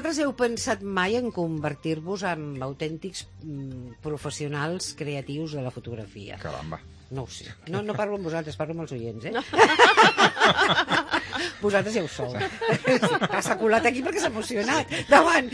Vosaltres heu pensat mai en convertir-vos en autèntics professionals creatius de la fotografia? Caramba. No ho sé. No parlo amb vosaltres, parlo amb els oients, Vosaltres ja ho sou. S'ha colat aquí perquè s'ha emocionat. Davant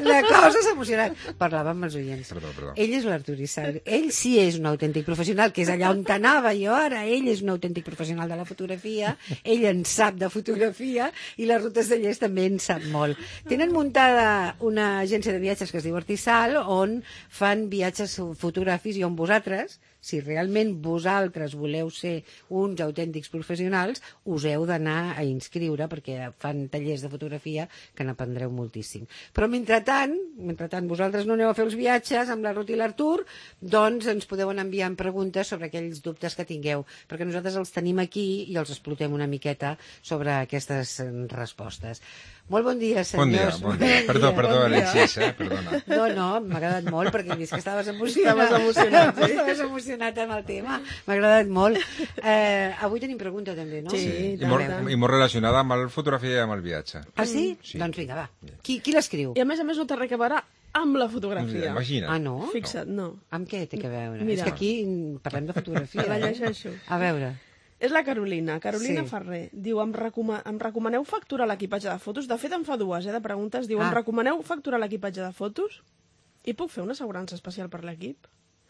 la cosa s'ha emocionat. Parlava amb els oients. Perdó. Ell és l'Artur Issac. Ell sí és un autèntic professional, que és allà on t'anava jo ara. Ell és un autèntic professional de la fotografia. Ell en sap de fotografia i les rutes de Llers també en sap molt. Tenen muntada una agència de viatges que es diu Artisal, on fan viatges fotogràfics i on vosaltres, si realment vosaltres voleu ser uns autèntics professionals, us heu d'anar a inscriure perquè fan tallers de fotografia que n'aprendreu moltíssim. Però mentrestant vosaltres no aneu a fer els viatges amb la Ruth i l'Artur, doncs ens podeu anar enviant preguntes sobre aquells dubtes que tingueu, perquè nosaltres els tenim aquí i els explotem una miqueta sobre aquestes respostes. Molt bon dia, senyors. Bon dia. Perdó, Alexis, perdona. No, m'ha agradat molt perquè he vist que estaves emocionat. Estaves emocionat amb el tema. M'ha agradat molt. Avui tenim pregunta també, no? Sí, i molt relacionada amb la fotografia i amb el viatge. Ah, sí? Sí. Doncs vinga, va. Qui l'escriu? I a més no té res a veure amb la fotografia. Imagina't. Ah, no? Fixa't, no. Amb què té a veure? Mira. És que aquí parlem de fotografia. La llegeixo. A veure. És la Carolina Sí. Ferrer. Diu, em recomaneu facturar l'equipatge de fotos? De fet, em fa dues, de preguntes. Diu, em recomaneu facturar l'equipatge de fotos? I puc fer una assegurança especial per l'equip?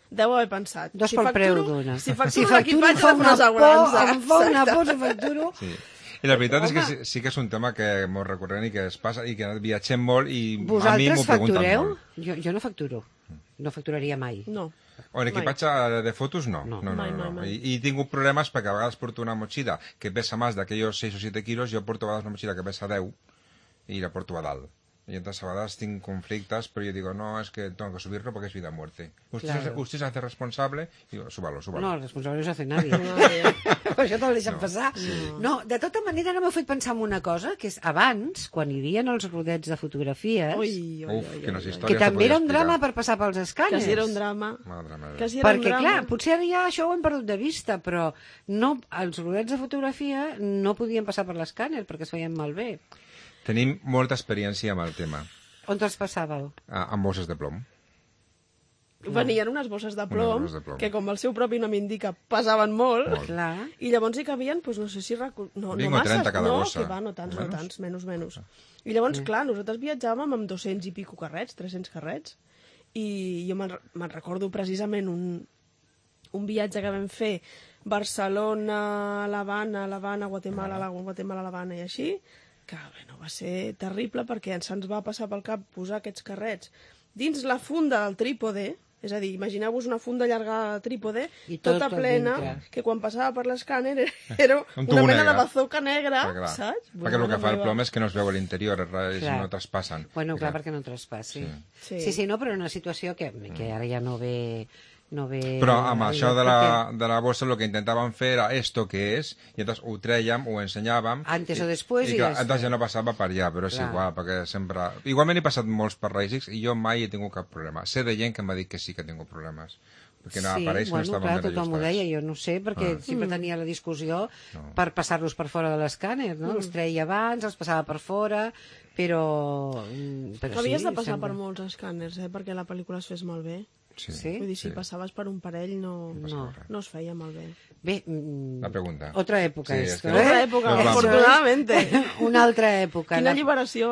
Deu haver pensat. Dos pel preu d'una. Si facturo l'equipatge, de fer una assegurança. Em fa una por si facturo. Sí. I la veritat és que sí que és un tema que és molt recurrent i que es passa i que viatgem molt i a mi Vosaltres m'ho pregunten factureu? molt. Jo no facturo. No facturaria mai. No. O l'equipatge de fotos no. Mai. I he tingut problemes perquè a vegades porto una motxilla que pesa més d'aquells 6 o 7 quilos, jo porto a vegades una motxilla que pesa 10 i la porto a dalt. Y entonces a veces tengo conflictos, pero yo digo, no, es que tengo que subirlo porque es vida o muerte. Usted se hace responsable, y digo, súbalo. No, el responsable no s'hace nadie. Per això te'l deixen passar. No, de tota manera, no m'heu fet pensar en una cosa, que és abans, quan hi havia els rodets de fotografies, que també era un drama per passar pels escàners. Quasi era un drama. Perquè, clar, potser ara ja això ho hem perdut de vista, però no, els rodets de fotografia no podien passar per l'escàner perquè es feien malbé. Tenim molta experiència amb el tema. On te'ls passàveu? Amb bosses de plom. Venien unes bosses de plom, que com el seu propi nom indica, pesaven molt. Clar. I llavors hi cabien, doncs no sé si... No masses, no, que va, no tants, menys. I llavors, clar, nosaltres viatjàvem amb 200 i pico carrets, 300 carrets, i jo me'n recordo precisament un viatge que vam fer Barcelona, l'Havana, Guatemala, l'Havana i així, que bueno, va ser terrible perquè se'ns va passar pel cap posar aquests carrets dins la funda del trípode, és a dir, imagineu-vos una funda llarga de trípode, tota plena, que quan passava per l'escàner era una mena de bazooka negra, saps? Perquè el que fa el plom és que no es veu a l'interior, no traspassen. Bueno, clar, perquè no traspassi. Sí, no, però en una situació que ara ja no ve... Però amb això de la bossa el que intentàvem fer era esto que és, i llavors ho trèiem, ho ensenyàvem... Antes o després i llavors ja no passava per allà, però és igual, perquè sempre... Igualment he passat molts per Ràsics i jo mai he tingut cap problema. Sé de gent que m'ha dit que sí que he tingut problemes. Perquè aparells no estaven ben ajustats. Tothom ho deia, jo no sé, perquè sempre tenia la discussió per passar-los per fora de l'escàner, no? Els treia abans, els passava per fora, però havies de passar per molts escàners, perquè la pel·lícula es fes malbé. Sí. Vull dir, si passaves per un parell no es feia malbé. Bé, la pregunta. Otra època esto, Otra època, afortunadamente. Una altra època. Quina alliberació,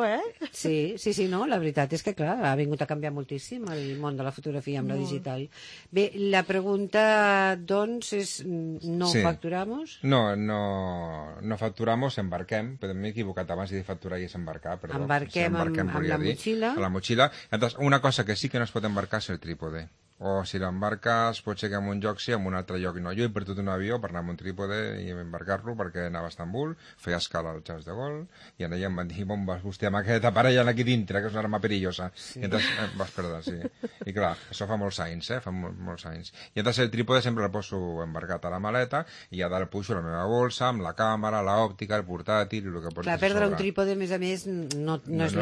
Sí, no, la veritat és que, clar, ha vingut a canviar moltíssim el món de la fotografia amb la digital. Bé, la pregunta, doncs, és ¿no facturamos? No facturamos, embarquem. M'he equivocat abans de dir facturar i és embarcar, perdó. Embarquem amb la motxilla. A la motxilla. Entonces, una cosa que sí que no es pot embarcar és el trípode. O si l'embarques, pot ser que en un lloc sí, en un altre lloc no. Jo he perdut un avió per anar amb un trípode i embarcar-lo perquè anava a Estambul, feia escala al Charles de Gaulle, i allà em van dir, on vas vostè amb aquesta parella aquí dintre, que és una arma perillosa. I entonces vas perdre, sí. I clar, això fa molts anys, fa molts anys. I entonces el trípode sempre el poso embarcat a la maleta i a dalt pujo la meva bolsa amb la càmera, l'òptica, el portàtil i el que portis a sobre. Clar, perdre un trípode, a més, no és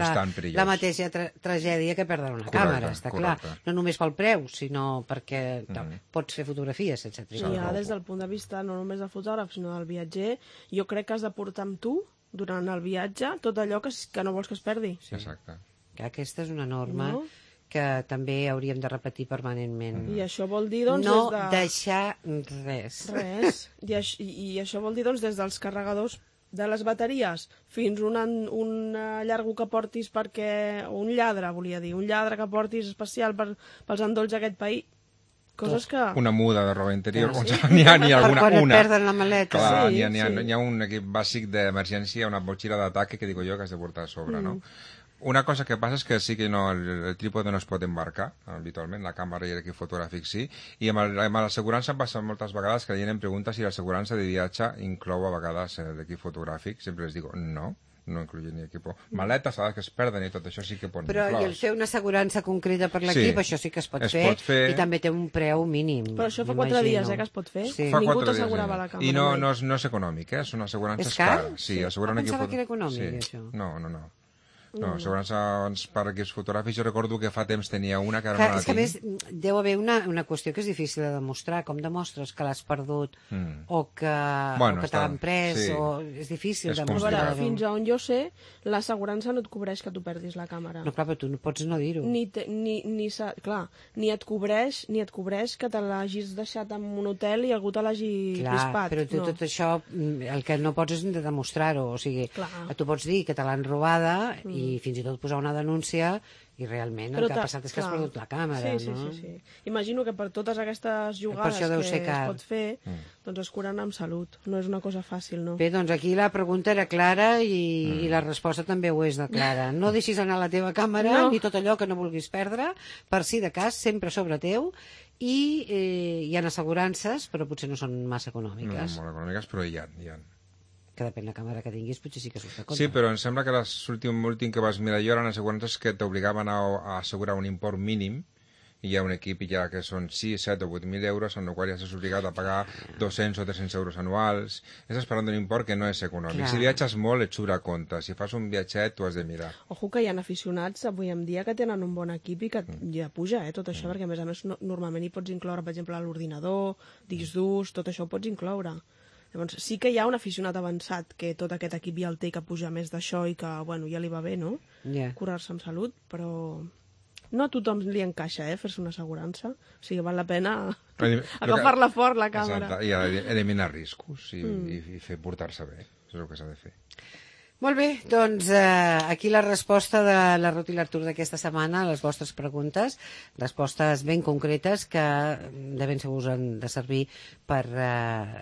la mateixa tragèdia que perdre una càmera, està clar. No només pel preu, sinó perquè pots fer fotografies sense trípode. Ja, des del punt de vista no només del fotògraf, sinó del viatger, jo crec que has de portar amb tu, durant el viatge, tot allò que no vols que es perdi. Exacte. Aquesta és una norma que també hauríem de repetir permanentment. I això vol dir, doncs, no des de... deixar res. Res. I això vol dir, doncs, des dels carregadors de les bateries fins un llargo que portis perquè... un lladre, volia dir. Un lladre que portis especial pels endolls d'aquest país. Coses que... Una muda de roba interior, n'hi ha alguna, per quan una. et perden la maleta. Clar, n'hi ha un equip bàsic d'emergència, una motxilla d'ataque que digo jo que has de portar a sobre, no? Una cosa que passa és que sí que el trípode no es pot embarcar habitualment, la càmera i l'equip fotogràfic sí, i amb l'assegurança em passa moltes vegades que la gent em pregunta si l'assegurança de viatge inclou a vegades l'equip fotogràfic, sempre les digo no incluye ni equipo. Maletes, que es perden i tot això sí que pot Però i el fer una assegurança concreta per l'equip, això sí que es pot fer, i també té un preu mínim. Però això fa 4 dies que es pot fer. Sí. Ningú t'assegurava la càmera. I no és econòmic, és una assegurança cara. Sí, assegurar un equip... Pensava que era econòmic, això. No. No, assegurança per equips fotogràfics, jo recordo que fa temps tenia una que ara no la tinc. És que a més deu haver una qüestió que és difícil de demostrar, com demostres que l'has perdut o que te l'han pres, o és difícil demostrar. Fins a on jo sé, l'assegurança no et cobreix que tu perdis la càmera. No, clar, però tu no pots no dir-ho. Ni et cobreix que te l'hagis deixat en un hotel i algú te l'hagi crispat. Però tu tot això, el que no pots és demostrar-ho, o sigui, tu pots dir que te l'han robada i fins i tot posar una denúncia i realment el que ha passat és que has perdut la càmera, no? Sí. Imagino que per totes aquestes jugades que es pot fer, doncs es curen amb salut. No és una cosa fàcil, no? Bé, doncs aquí la pregunta era clara i la resposta també ho és de clara. No deixis anar la teva càmera ni tot allò que no vulguis perdre, per si de cas, sempre sobre teu, i hi ha assegurances, però potser no són massa econòmiques. No, molt econòmiques, però hi ha. Que depèn de la càmera que tinguis, potser sí que surt de compte. Sí, però em sembla que l'últim que vas mirar jo eren assegurances que t'obligaven a assegurar un import mínim, i hi ha un equip ja que són 6, 7 o 8.000 euros, en el qual ja estàs obligat a pagar 200 o 300 euros anuals. Estàs parlant d'un import que no és econòmic. Si viatges molt, et surt a compte. Si fas un viatget, t'ho has de mirar. Ojo que hi ha aficionats avui en dia que tenen un bon equip i que ja puja, tot això, perquè a més normalment hi pots incloure, per exemple, l'ordinador, discs durs, tot això ho pots incloure. Llavors, sí que hi ha un aficionat avançat que tot aquest equip ja el té, que puja més d'això i que, ja li va bé, no? Curar-se amb salut, però no a tothom li encaixa, fer-se una assegurança. O sigui, val la pena agafar-la fort, la càmera. Exacte, i eliminar riscos i fer portar-se bé. Això és el que s'ha de fer. Molt bé, doncs aquí la resposta de la Ruth i l'Artur d'aquesta setmana a les vostres preguntes, respostes ben concretes que de ben segur us han de servir per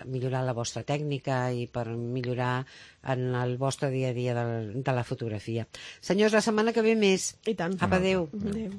millorar la vostra tècnica i per millorar en el vostre dia a dia de la fotografia. Senyors, la setmana que ve més. I tant. Apa, adéu. Adéu.